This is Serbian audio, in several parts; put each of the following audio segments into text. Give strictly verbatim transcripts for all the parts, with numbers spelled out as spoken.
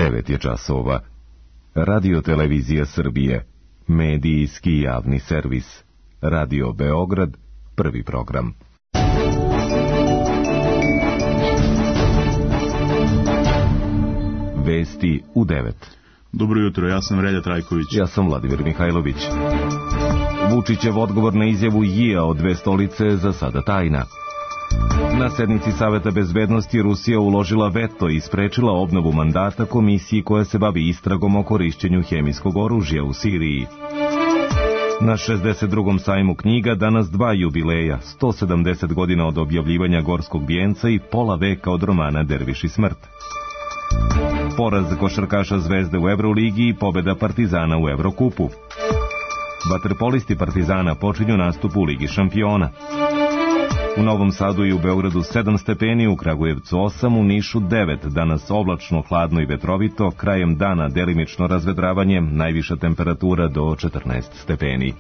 devet je časova. Radio Televizija Srbije, medijski javni servis. Radio Beograd, prvi program. Vesti u devet. Dobro jutro, ja sam Relja Trajković. Ja sam Vladimir Mihajlović. Vučićev odgovor na izjavu Jija o dve stolice za sada tajna. Na sednici Saveta bezbednosti Rusija uložila veto i sprečila obnovu mandata komisiji koja se bavi istragom o korišćenju hemijskog oružja u Siriji. Na šezdeset drugom sajmu knjiga danas dva jubileja, sto sedamdeset godina od objavljivanja Gorskog vijenca i pola veka od romana Derviš i smrt. Poraz košarkaša Zvezde u Evroligi i pobeda Partizana u Evrokupu. Vaterpolisti Partizana počinju nastup u Ligi šampiona. U Novom Sadu i u Beogradu sedam stepeni, u Kragujevcu osam, u Nišu devet, danas oblačno, hladno i vetrovito, krajem dana delimično razvedravanje, najviša temperatura do četrnaest stepeni.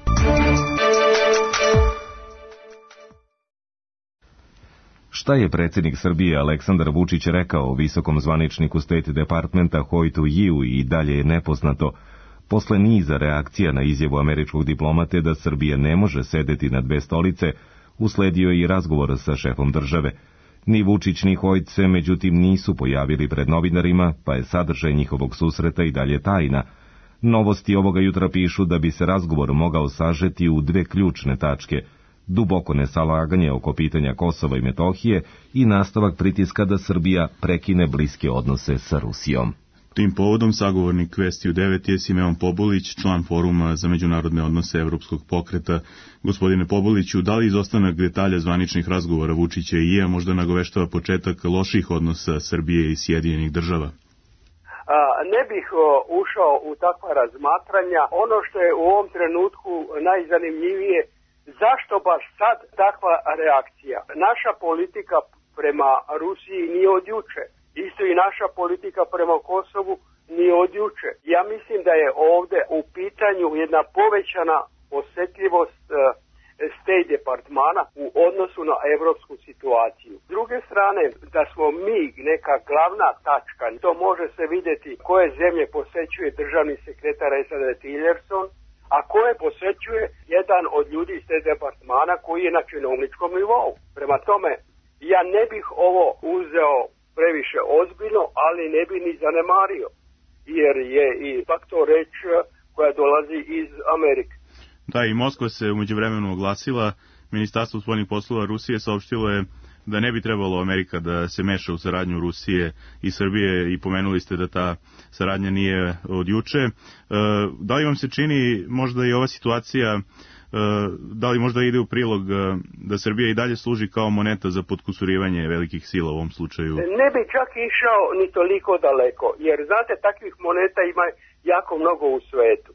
Šta je predsjednik Srbije Aleksandar Vučić rekao o visokom zvaničniku State Departmenta Hoytu Yiju i dalje je nepoznato. Posle niza reakcija na izjavu američkog diplomate da Srbija ne može sedeti na dve stolice, usledio je i razgovor sa šefom države. Ni Vučić ni Hoyt se međutim nisu pojavili pred novinarima, pa je sadržaj njihovog susreta i dalje tajna. Novosti ovoga jutra pišu da bi se razgovor mogao sažeti u dve ključne tačke: duboko nesalaganje oko pitanja Kosova i Metohije i nastavak pritiska da Srbija prekine bliske odnose sa Rusijom. Tim povodom sagovornik Vesti u devet je Simeon Pobulić, član Foruma za međunarodne odnose Evropskog pokreta. Gospodine Pobuliću, da li izostanak detalja zvaničnih razgovora Vučića i Jija možda nagoveštava početak loših odnosa Srbije i Sjedinjenih država? A, ne bih o, ušao u takva razmatranja. Ono što je u ovom trenutku najzanimljivije, zašto baš sad takva reakcija? Naša politika prema Rusiji nije od juče. Isto i naša politika prema Kosovu nije od juče. Ja mislim da je ovdje u pitanju jedna povećana osjetljivost e, State Departmana u odnosu na evropsku situaciju. S druge strane, da smo mi neka glavna tačka, to može se vidjeti koje zemlje posećuje državni sekretar S A D Tillerson, a koje posećuje jedan od ljudi iz State Departmana koji je na činovničkom nivou. Prema tome, ja ne bih ovo uzeo previše ozbiljno, ali ne bi ni zanemario, jer je i pak to reč koja dolazi iz Amerike. Da, i Moskva se u međuvremenu oglasila. Ministarstvo spoljnih poslova Rusije saopštilo je da ne bi trebalo Amerika da se meša u saradnju Rusije i Srbije i pomenuli ste da ta saradnja nije od juče. E, da li vam se čini možda i ova situacija, e, da li možda ide u prilog da Srbija i dalje služi kao moneta za potkusurivanje velikih sila u ovom slučaju? Ne bi čak išao ni toliko daleko, jer znate, takvih moneta ima jako mnogo u svetu.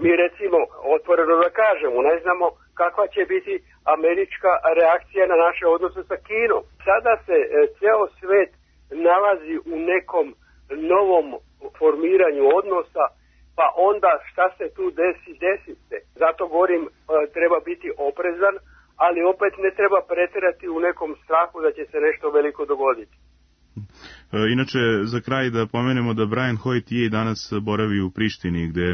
Mi recimo, otvoreno da kažemo, ne znamo kakva će biti američka reakcija na naše odnose sa Kinom. Sada se e, ceo svet nalazi u nekom novom formiranju odnosa, pa onda šta se tu desi, desi se. Zato govorim, e, treba biti oprezan, ali opet ne treba pretjerati u nekom strahu da će se nešto veliko dogoditi. Inače, za kraj da pomenemo da Brian Hoyt je danas boravi u Prištini, gde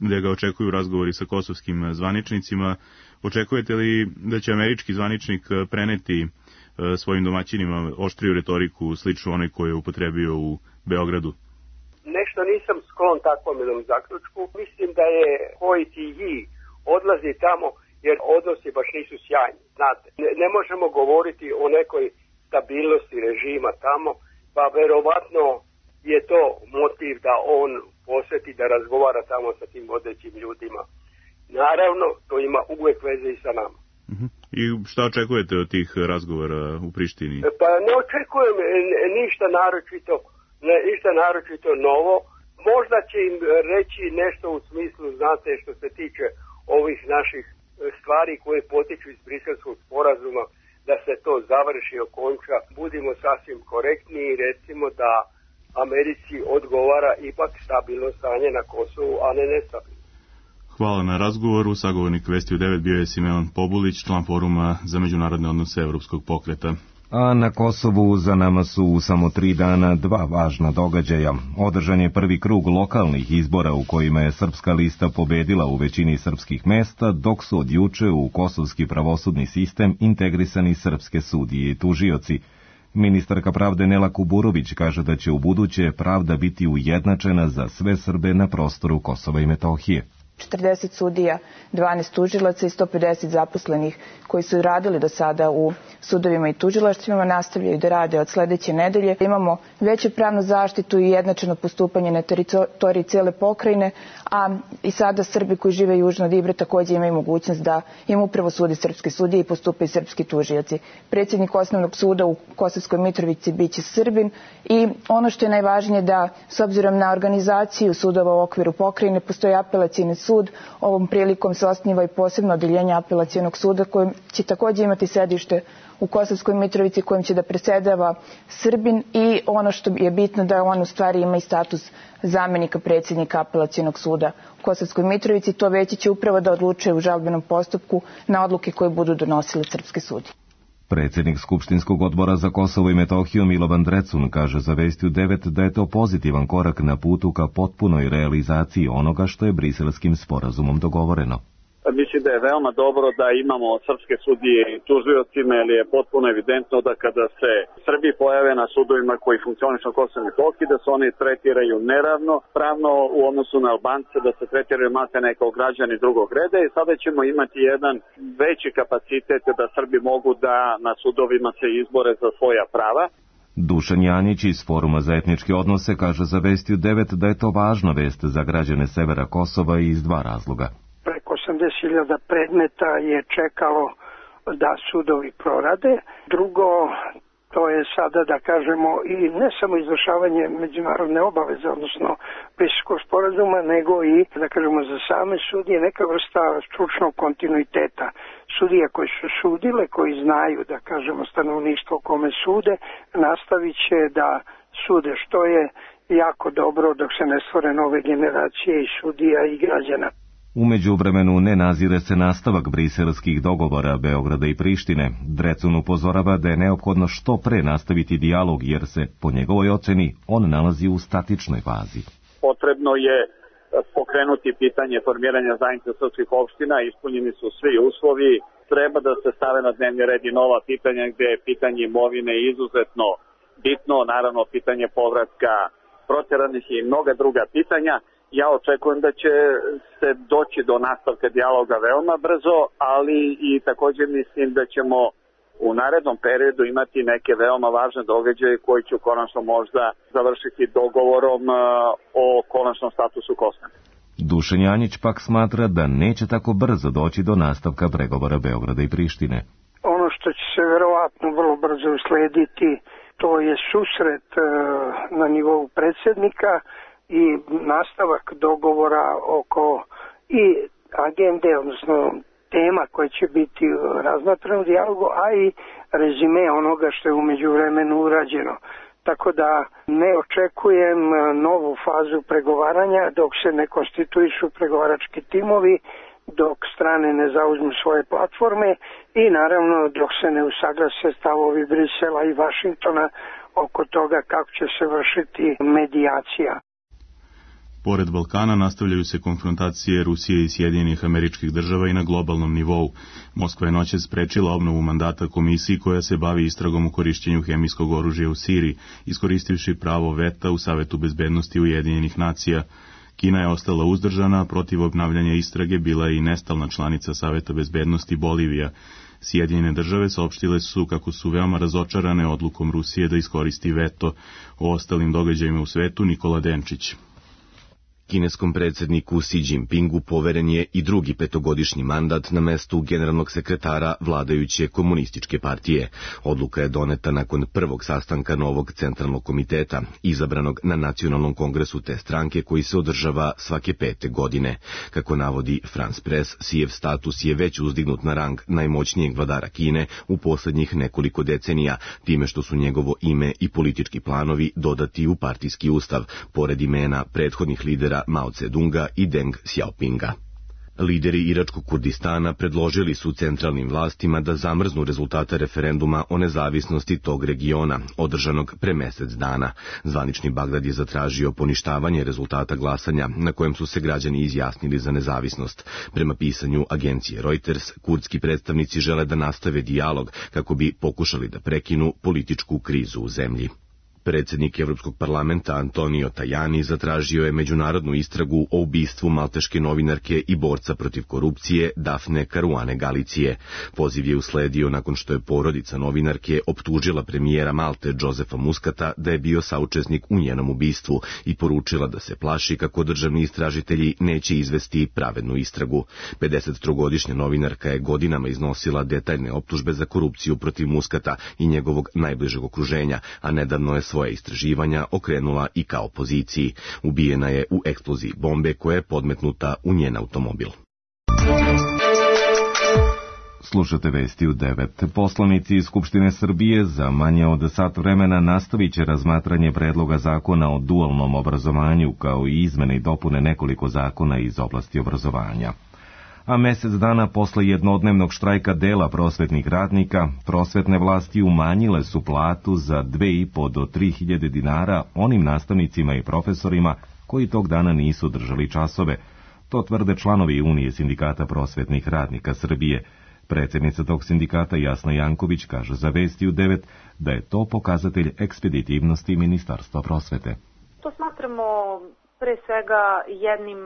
gde ga očekuju razgovori sa kosovskim zvaničnicima. Očekujete li da će američki zvaničnik preneti svojim domaćinima oštriju retoriku sličnu onoj koju je upotrebio u Beogradu? Nešto nisam sklon takvom jednom zaključku. Mislim da je Hoyt i Yi odlazi tamo jer odnosi baš nisu sjajni. Znate, ne, ne možemo govoriti o nekoj stabilnosti režima tamo, pa verovatno je to motiv da on posjeti da razgovara tamo sa tim vodećim ljudima. Naravno, to ima uvijek veze i sa nama. Uh-huh. I šta očekujete od tih razgovora u Prištini? Pa ne očekujem ništa naročito, ništa naročito novo. Možda će im reći nešto u smislu, znate, što se tiče ovih naših stvari koje potiču iz Briselskog sporazuma, da se to završi, okonča. Budimo sasvim korektni i recimo da Americi odgovara ipak stabilno stanje na Kosovu, a ne nestabilno. Hvala na razgovoru. Sagovornik Vesti u devet bio je Simeon Pobulić, član Foruma za međunarodne odnose Evropskog pokreta. A na Kosovu za nama su u samo tri dana dva važna događaja. Održan je prvi krug lokalnih izbora u kojima je srpska lista pobedila u većini srpskih mesta, dok su od juče u kosovski pravosudni sistem integrisani srpske sudije i tužioci. Ministarka pravde Nela Kuburović kaže da će u buduće pravda biti ujednačena za sve Srbe na prostoru Kosova i Metohije. četrdeset sudija, dvanaest tužilaca i sto pedeset zaposlenih koji su radili do sada u sudovima i tužilaštvima nastavljaju da rade od sledeće nedelje. Imamo veću pravnu zaštitu i jednačeno postupanje na teritoriji cele pokrajine, a i sada Srbi koji žive južno od Ibre takođe imaju mogućnost da im upravo sude srpske sudije i postupaju srpski tužioci. Predsjednik osnovnog suda u Kosovskoj Mitrovici biće Srbin i ono što je najvažnije da s obzirom na organizaciju sudova u okviru pokrajine postoji apelacioni sud. Ovom prilikom se osniva i posebno odeljenje apelacionog suda koje će takođe imati sedište u Kosovskoj Mitrovici kojim će da predsjedava Srbin i ono što je bitno da on u stvari ima i status zamenika predsjednika apelacionog suda u Kosovskoj Mitrovici. To veće će upravo da odlučuje u žalbenom postupku na odluke koje budu donosili srpske sudije. Predsjednik Skupštinskog odbora za Kosovo i Metohiju Milovan Drecun kaže za Vestiju devet da je to pozitivan korak na putu ka potpunoj realizaciji onoga što je Briselskim sporazumom dogovoreno. Mislim da je veoma dobro da imamo srpske sudije i tužiocima, jer je potpuno evidentno da kada se Srbi pojave na sudovima koji funkcionišu na Kosovu i Metohiji, da se oni tretiraju neravno pravno u odnosu na Albance, da se tretiraju maltene kao građani drugog reda i sada ćemo imati jedan veći kapacitet da Srbi mogu da na sudovima se izbore za svoja prava. Dušan Janjić iz Foruma za etničke odnose kaže za Vestiju devet da je to važna vest za građane severa Kosova iz dva razloga. Preko osamdeset hiljada predmeta je čekalo da sudovi prorade. Drugo, to je sada, da kažemo, i ne samo izvršavanje međunarodne obaveze, odnosno Briselskog sporazuma, nego i, da kažemo, za same sudije neka vrsta stručnog kontinuiteta. Sudije koji su sudile, koji znaju, da kažemo, stanovništvo kome sude, nastavit će da sude, što je jako dobro dok se ne stvore nove generacije i sudija i građana. U međuvremenu ne nazire se nastavak briselskih dogovora Beograda i Prištine. Drecun upozorava da je neophodno što pre nastaviti dijalog jer se, po njegovoj oceni, on nalazi u statičnoj fazi. Potrebno je pokrenuti pitanje formiranja zajednice srpskih opština, ispunjeni su svi uslovi, treba da se stave na dnevni red i nova pitanja gde je pitanje imovine izuzetno bitno, naravno pitanje povratka proteranih i mnoga druga pitanja. Ja očekujem da će se doći do nastavka dijaloga veoma brzo, ali i također mislim da ćemo u narednom periodu imati neke veoma važne događaje koji će konačno možda završiti dogovorom o konačnom statusu Kosova. Dušan Janjić pak smatra da neće tako brzo doći do nastavka pregovora Beograda i Prištine. Ono što će se verovatno vrlo brzo uslediti, to je susret na nivou predsjednika i nastavak dogovora oko i agende, odnosno tema koje će biti razmatrane u dijalogu, a i rezime onoga što je u međuvremenu urađeno. Tako da ne očekujem novu fazu pregovaranja dok se ne konstituišu pregovarački timovi, dok strane ne zauzmu svoje platforme i naravno dok se ne usaglase stavovi Brisela i Vašingtona oko toga kako će se vršiti medijacija. Pored Balkana nastavljaju se konfrontacije Rusije i Sjedinjenih Američkih Država i na globalnom nivou. Moskva je noćas sprečila obnovu mandata komisiji koja se bavi istragom u korišćenju hemijskog oružja u Siriji, iskoristivši pravo veta u Savetu bezbednosti Ujedinjenih nacija. Kina je ostala uzdržana, a protiv obnavljanja istrage bila je i nestalna članica Saveta bezbednosti Bolivija. Sjedinjene države saopštile su kako su veoma razočarane odlukom Rusije da iskoristi veto. O ostalim događajima u svetu Nikola Denčić. Kineskom predsjedniku Xi Jinpingu poveren je i drugi petogodišnji mandat na mestu generalnog sekretara vladajuće komunističke partije. Odluka je doneta nakon prvog sastanka novog centralnog komiteta, izabranog na nacionalnom kongresu te stranke koji se održava svake pete godine. Kako navodi France Press, Xijev status je već uzdignut na rang najmoćnijeg vladara Kine u posljednjih nekoliko decenija, time što su njegovo ime i politički planovi dodati u partijski ustav, pored imena prethodnih lidera Mao Tse-dunga i Deng Xiaopinga. Lideri iračkog Kurdistana predložili su centralnim vlastima da zamrznu rezultate referenduma o nezavisnosti tog regiona, održanog pre mesec dana. Zvanični Bagdad je zatražio poništavanje rezultata glasanja na kojem su se građani izjasnili za nezavisnost. Prema pisanju agencije Reuters, kurdski predstavnici žele da nastave dijalog kako bi pokušali da prekinu političku krizu u zemlji. Predsjednik Evropskog parlamenta Antonio Tajani zatražio je međunarodnu istragu o ubistvu malteške novinarke i borca protiv korupcije Dafne Caruane Galicije. Poziv je usledio nakon što je porodica novinarke optužila premijera Malte Josefa Muscata da je bio saučesnik u njenom ubistvu i poručila da se plaši kako državni istražitelji neće izvesti pravednu istragu. pedesettrogodišnja novinarka je godinama iznosila detaljne optužbe za korupciju protiv Muscata i njegovog najbližeg okruženja, a nedavno je svoje istraživanja okrenula i ka opoziciji. Ubijena je u eksploziji bombe koja je podmetnuta u njen automobil. Slušate vesti u devet. Poslanici iz Skupštine Srbije za manje od sat vremena nastavit će razmatranje predloga zakona o dualnom obrazovanju kao i izmene i dopune nekoliko zakona iz oblasti obrazovanja. A mesec dana posle jednodnevnog štrajka dela prosvetnih radnika, prosvetne vlasti umanjile su platu za dve i po do tri hiljade dinara onim nastavnicima i profesorima koji tog dana nisu držali časove. To tvrde članovi Unije sindikata prosvetnih radnika Srbije. Predsjednica tog sindikata Jasna Janković kaže za Vesti u devet da je to pokazatelj ekspeditivnosti Ministarstva prosvete. To smatramo pre svega jednim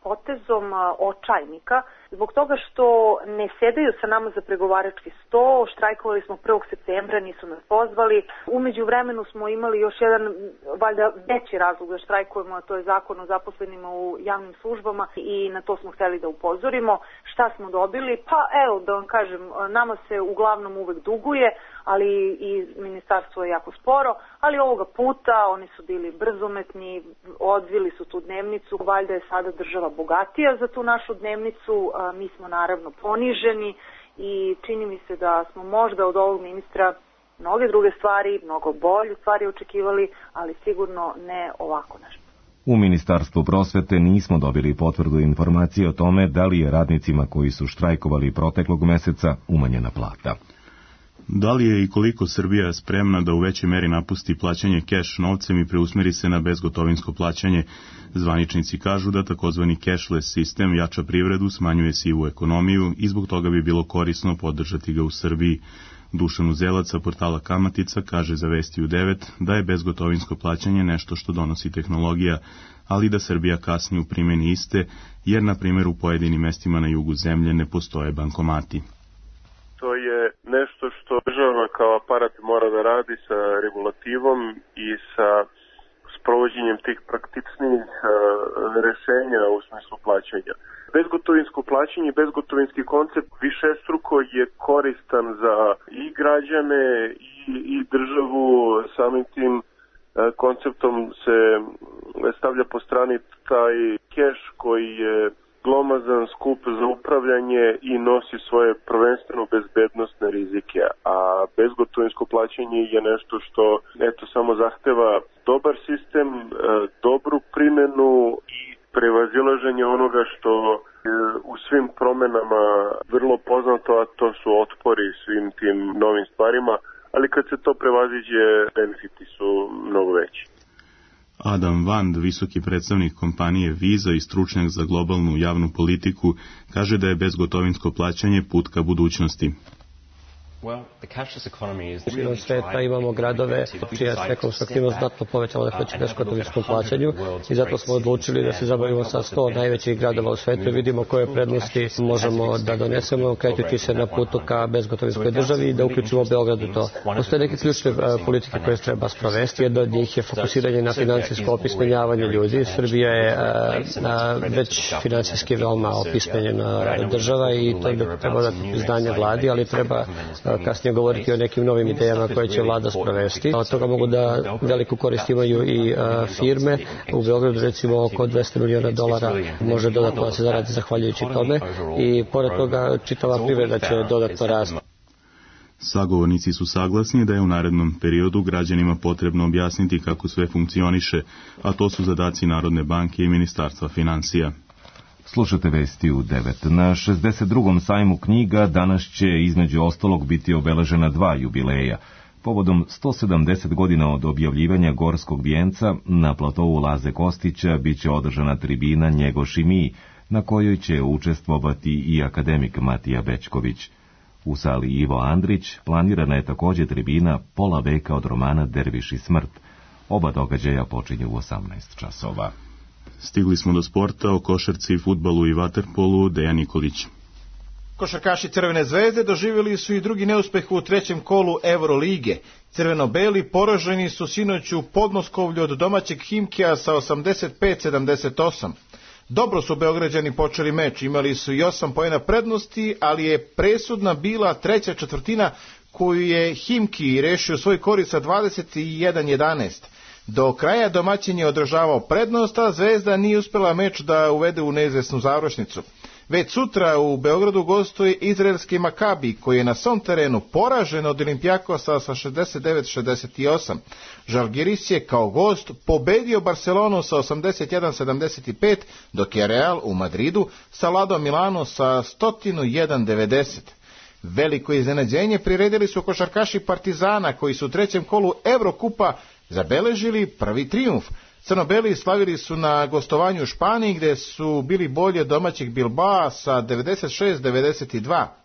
potezom očajnika, zbog toga što ne sedaju sa nama za pregovarački sto, štrajkovali smo prvog septembra, nisu nas pozvali. Umeđu vremenu smo imali još jedan, valjda veći razlog da štrajkujemo, a to je zakon o zaposlenima u javnim službama i na to smo hteli da upozorimo. Šta smo dobili? Pa evo, da vam kažem, nama se uglavnom uvek duguje, ali i ministarstvo je jako sporo, ali ovoga puta oni su bili brzometni, odvili su tu dnevnicu, valjda je sada država bogatija za tu našu dnevnicu, mi smo naravno poniženi i čini mi se da smo možda od ovog ministra mnoge druge stvari, mnogo bolje stvari očekivali, ali sigurno ne ovako nešto. U Ministarstvu prosvete nismo dobili potvrdu informacije o tome da li je radnicima koji su štrajkovali proteklog meseca umanjena plata. Da li je i koliko Srbija spremna da u većoj meri napusti plaćanje keš novcem i preusmeri se na bezgotovinsko plaćanje? Zvaničnici kažu da takozvani cashless sistem jača privredu, smanjuje sivu ekonomiju i zbog toga bi bilo korisno podržati ga u Srbiji. Dušan Uzelac sa portala Kamatica kaže za Vesti u devet da je bezgotovinsko plaćanje nešto što donosi tehnologija, ali da Srbija kasni u primjeni iste, jer na primjer u pojedinim mestima na jugu zemlje ne postoje bankomati. To je nešto što država kao aparat mora da radi sa regulativom i sa sprovođenjem tih praktičnih rešenja u smislu plaćanja. Bezgotovinsko plaćanje, bezgotovinski koncept višestruko je koristan za i građane i, i državu. Samim tim konceptom se stavlja po strani taj keš koji je glomazan, skup za upravljanje i nosi svoje prvenstveno bezbednostne rizike, a bezgotovinsko plaćanje je nešto što eto samo zahteva dobar sistem, dobru primjenu i prevazilaženje onoga što je u svim promenama vrlo poznato, a to su otpori svim tim novim stvarima, ali kad se to prevaziđe, benefiti su mnogo veći. Adam Vand, visoki predstavnik kompanije Visa i stručnjak za globalnu javnu politiku, kaže da je bezgotovinsko plaćanje put ka budućnosti. Širom sveta imamo gradove čija je ekonomska aktivnost znatno povećala zahvaljujući bezgotovinskom plaćanju i zato smo odlučili da se zabavimo sa sto najvećih gradova u svetu i vidimo koje prednosti možemo da donesemo krećući se na putu ka bezgotovinskoj državi i da uključimo Beograd u to. Postoje neke ključne politike koje treba sprovesti. Jedna od njih je fokusiranje na finansijsko opismenjavanje ljudi. Srbija je već finansijski veoma opismenjena država i to bi treba dati priznanje vladi, ali treba kasnije govoriti o nekim novim idejama koje će vlada sprovesti. Od toga mogu da veliku korist imaju i a, firme. U Beogradu recimo oko dvesta miliona dolara može dodatno da se zaradi zahvaljujući tome i pored toga čitava privreda će dodatno rasti. Sagovornici su saglasni da je u narednom periodu građanima potrebno objasniti kako sve funkcioniše, a to su zadaci Narodne banke i Ministarstva finansija. Slušate vesti u devet. Na šezdeset drugom sajmu knjiga danas će između ostalog biti obeležena dva jubileja. Povodom sto sedamdeset godina od objavljivanja Gorskog vijenca na platovu Laze Kostića biće održana tribina Njegoš i mi, na kojoj će učestvovati i akademik Matija Bećković. U sali Ivo Andrić planirana je također tribina Pola veka od romana Derviš i smrt. Oba događaja počinju u osamnaest časova. Stigli smo do sporta, o košarci, fudbalu i vaterpolu. Dejan Nikolić. Košarkaši Crvene zvezde doživjeli su i drugi neuspeh u trećem kolu Eurolige. Crveno-beli poraženi su sinoć u Podmoskovlju od domaćeg Himkija sa osamdeset pet sedamdeset osam. Dobro su Beograđani počeli meč, imali su i osam poena prednosti, ali je presudna bila treća četvrtina koju je Himki rešio svoj korist sa dvadeset jedan jedanaest. Do kraja domaćin je održavao prednost, a Zvezda nije uspela meč da uvede u neizvesnu završnicu. Već sutra u Beogradu gostuje izraelski Makabi, koji je na svom terenu poražen od Olimpijakosa sa šezdeset devet šezdeset osam. Žalgiris je kao gost pobedio Barcelonu sa osamdeset jedan sedamdeset pet, dok je Real u Madridu savladao Milano sa sto jedan devedeset. Veliko iznenađenje priredili su košarkaši Partizana, koji su u trećem kolu Evrokupa zabeležili prvi trijumf. Crnobeli slavili su na gostovanju u Španiji, gde su bili bolje domaćeg Bilbao sa devedeset šest devedeset dva.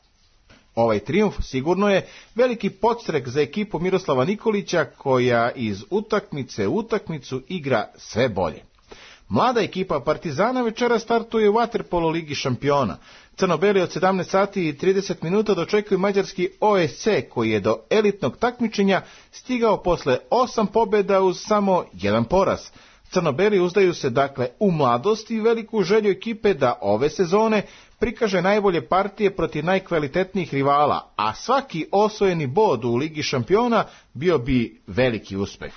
Ovaj trijumf sigurno je veliki podstrek za ekipu Miroslava Nikolića, koja iz utakmice u utakmicu igra sve bolje. Mlada ekipa Partizana večera startuje u vaterpolo Ligi šampiona. Crnobeli od sedamnaest sati i trideset minuta dočekuju mađarski O S C, koji je do elitnog takmičenja stigao posle osam pobjeda uz samo jedan poraz. Crnobeli uzdaju se dakle u mladost i veliku želju ekipe da ove sezone prikaže najbolje partije protiv najkvalitetnijih rivala, a svaki osvojeni bod u Ligi šampiona bio bi veliki uspeh.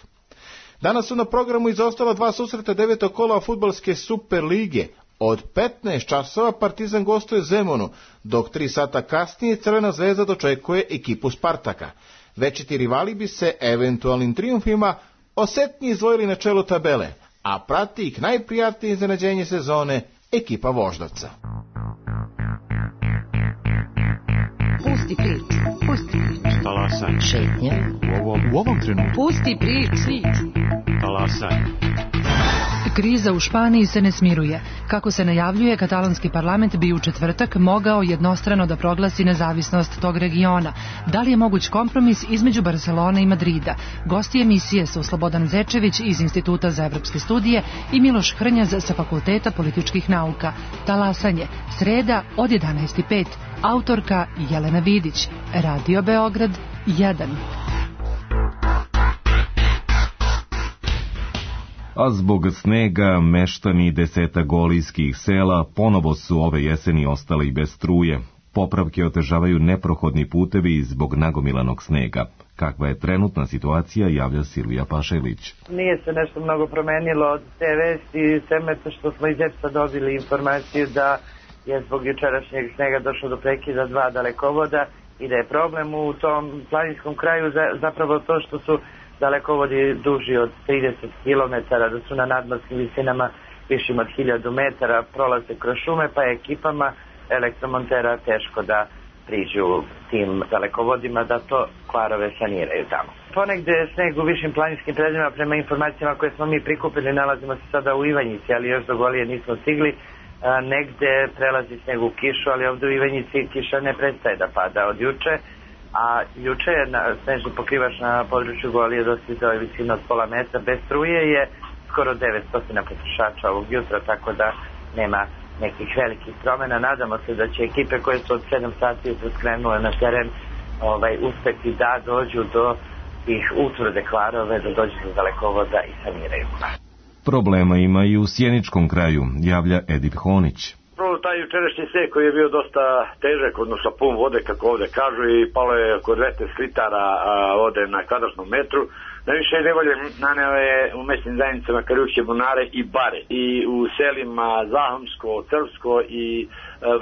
Danas su na programu izostala dva susreta devetog kola fudbalske Super lige. Od petnaest časova Partizan gostuje Zemunu, dok tri sata kasnije Crvena zvezda dočekuje ekipu Spartaka. Večiti rivali bi se eventualnim trijumfima osetnije izdvojili na čelu tabele, a prati ih najprijatnije iznenađenje sezone, ekipa Voždovca. Pusti priču, pusti priču. Talasaj. Šetnja. U ovom, u ovom trenutku. Pusti priču. Talasaj. Kriza u Španiji se ne smiruje. Kako se najavljuje, katalanski parlament bi u četvrtak mogao jednostrano da proglasi nezavisnost tog regiona. Da li je moguć kompromis između Barcelone i Madrida? Gosti emisije su Slobodan Zečević iz Instituta za evropske studije i Miloš Hrnjaz sa Fakulteta političkih nauka. Talasanje, sreda od jedanaest i pet. Autorka Jelena Vidić. Radio Beograd jedan. A zbog snega meštani deseta golijskih sela ponovo su ove jeseni ostali bez struje. Popravke otežavaju neprohodni putevi zbog nagomilanog snega. Kakva je trenutna situacija, javlja Silvija Pašelić. Nije se nešto mnogo promenilo od te vesti, sem što smo iz E P S-a dobili informaciju da je zbog jučerašnjeg snega došlo do prekida dva dalekovoda i da je problem u tom planinskom kraju zapravo to što su dalekovodi duži od trideset kilometara, da su na nadmorskim visinama višim od hiljadu metara, prolaze kroz šume, pa je ekipama elektromontera teško da priđu tim dalekovodima da to kvarove saniraju tamo. Ponegde je sneg u višim planinskim predjelima, prema informacijama koje smo mi prikupili, nalazimo se sada u Ivanjici, ali još do Golije nismo stigli. A, negde prelazi sneg u kišu, ali ovdje u Ivanjici kiša ne prestaje da pada od juče. A juče je na, snežni pokrivač na području Golije dostizao je visinu od pola metra. Bez struje je skoro devetsto potrošača ovog jutra, tako da nema nekih velikih promjena. Nadamo se da će ekipe koje su od sedam sati skrenule na teren ovaj, uspeti da dođu do tih utvrde kvarove, da dođu do dalekovoda i saniraju. Problema ima i u Sjeničkom kraju, javlja Edip Honić. Prvo, taj jučerašnji sneg koji je bio dosta težak, odnosno pun vode, kako ovde kažu, i palo je oko dvesta litara vode na kvadratnom metru. Najviše nevolje naneo je u mesnim zajednicama Karjuške Bunare i Bare i u selima Zahomsko, Crvsko i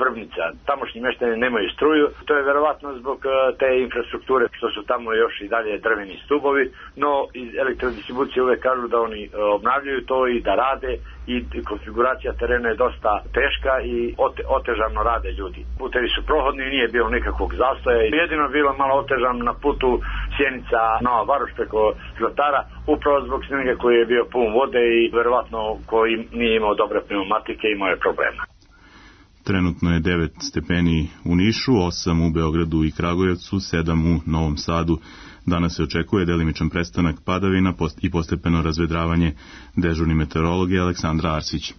Vrbnica. Tamošnji meštani nemaju struju, to je verovatno zbog te infrastrukture što su tamo još i dalje drveni stubovi, no iz elektrodistribucije uvek kažu da oni obnavljaju to i da rade i konfiguracija terena je dosta teška i ote, otežano rade ljudi. Putevi su prohodni, nije bilo nikakvog zastoja, jedino bilo malo otežan na putu Sjenica Nova Varoš preko Zlatara, upravo zbog snega koji je bio pun vode i verovatno koji nije imao dobre pneumatike i imao je problema. Trenutno je devet stepeni u Nišu, osam u Beogradu i Kragujevcu, sedam u Novom Sadu. Danas se očekuje delimičan prestanak padavina i postepeno razvedravanje. Dežurni meteorolog je Aleksandra Arsić.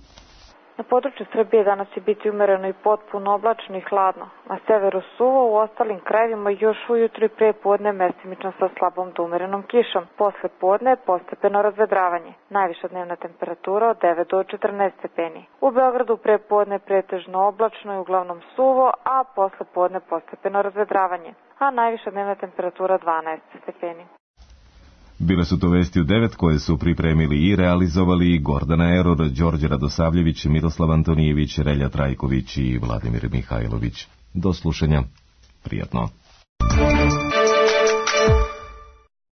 Na području Srbije danas će biti umereno i potpuno oblačno i hladno. Na severu suvo, u ostalim krajevima još ujutru i pre podne mestimično sa slabom do umerenom kišom. Posle podne postepeno razvedravanje. Najviša dnevna temperatura od devet do četrnaest stepeni. U Beogradu pre podne pretežno oblačno i uglavnom suvo, a posle podne postepeno razvedravanje. A najviša dnevna temperatura dvanaest stepeni. Bile su to vesti u devet koje su pripremili i realizovali Gordana Eror, Đorđe Radosavljević, Miroslav Antonijević, Relja Trajković i Vladimir Mihajlović. Do slušanja. Prijatno.